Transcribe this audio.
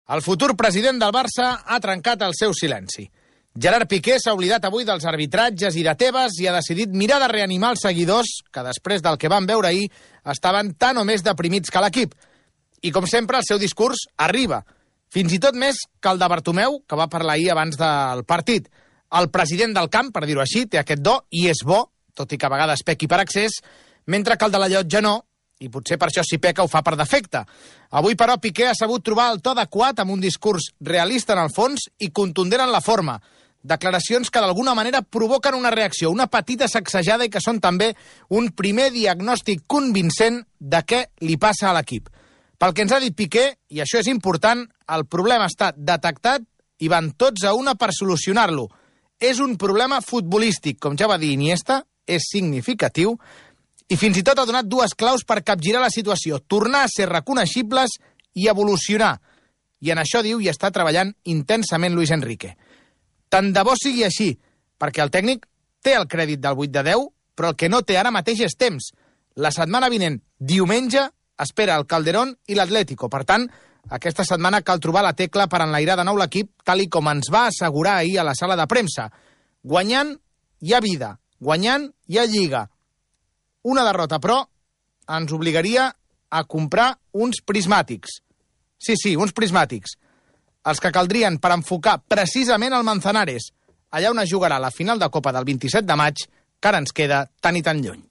El futur president del Barça ha trencat el seu silenci. Gerard Piqué s'ha oblidat avui dels arbitratges i de Tebas i ha decidit mirar de reanimar els seguidors que després del que van veure ahir estaven tan o més deprimits que l'equip. I com sempre el seu discurs arriba, fins i tot més que el de Bartomeu, que va parlar ahir abans del partit. El president del camp, per dir-ho així, té aquest do i és bo, tot i que a vegades pequi per excés, mentre que el de la llotja no, i potser per això si peca ho fa per defecte. Avui, però, Piqué ha sabut trobar el to adequat amb un discurs realista en el fons i contundent en la forma. Declaracions que d'alguna manera provoquen una reacció, una petita sacsejada i que són també un primer diagnòstic convincent de què li passa a l'equip. Pel que ens ha dit Piqué, i això és important, el problema està detectat i van tots a una per solucionar-lo. És un problema futbolístic, com ja va dir Iniesta, és significatiu, i fins i tot ha donat dues claus per capgirar la situació, tornar a ser reconeixibles i evolucionar. I en això, diu, hi està treballant intensament Luis Enrique. Tant de bo sigui així, perquè el tècnic té el crèdit del 8 de 10, però el que no té ara mateix és temps. La setmana vinent, diumenge, espera el Calderón i l'Atlético. Per tant, aquesta setmana cal trobar la tecla per enlairar de nou l'equip, tal i com ens va assegurar ahir a la sala de premsa. Guanyant hi ha vida, guanyant hi ha lliga. Una derrota, però, ens obligaria a comprar uns prismàtics. Sí, uns prismàtics. Els que caldrien per enfocar precisament el Manzanares, allà on es jugarà la final de Copa del 27 de maig, que ara ens queda tan i tan lluny.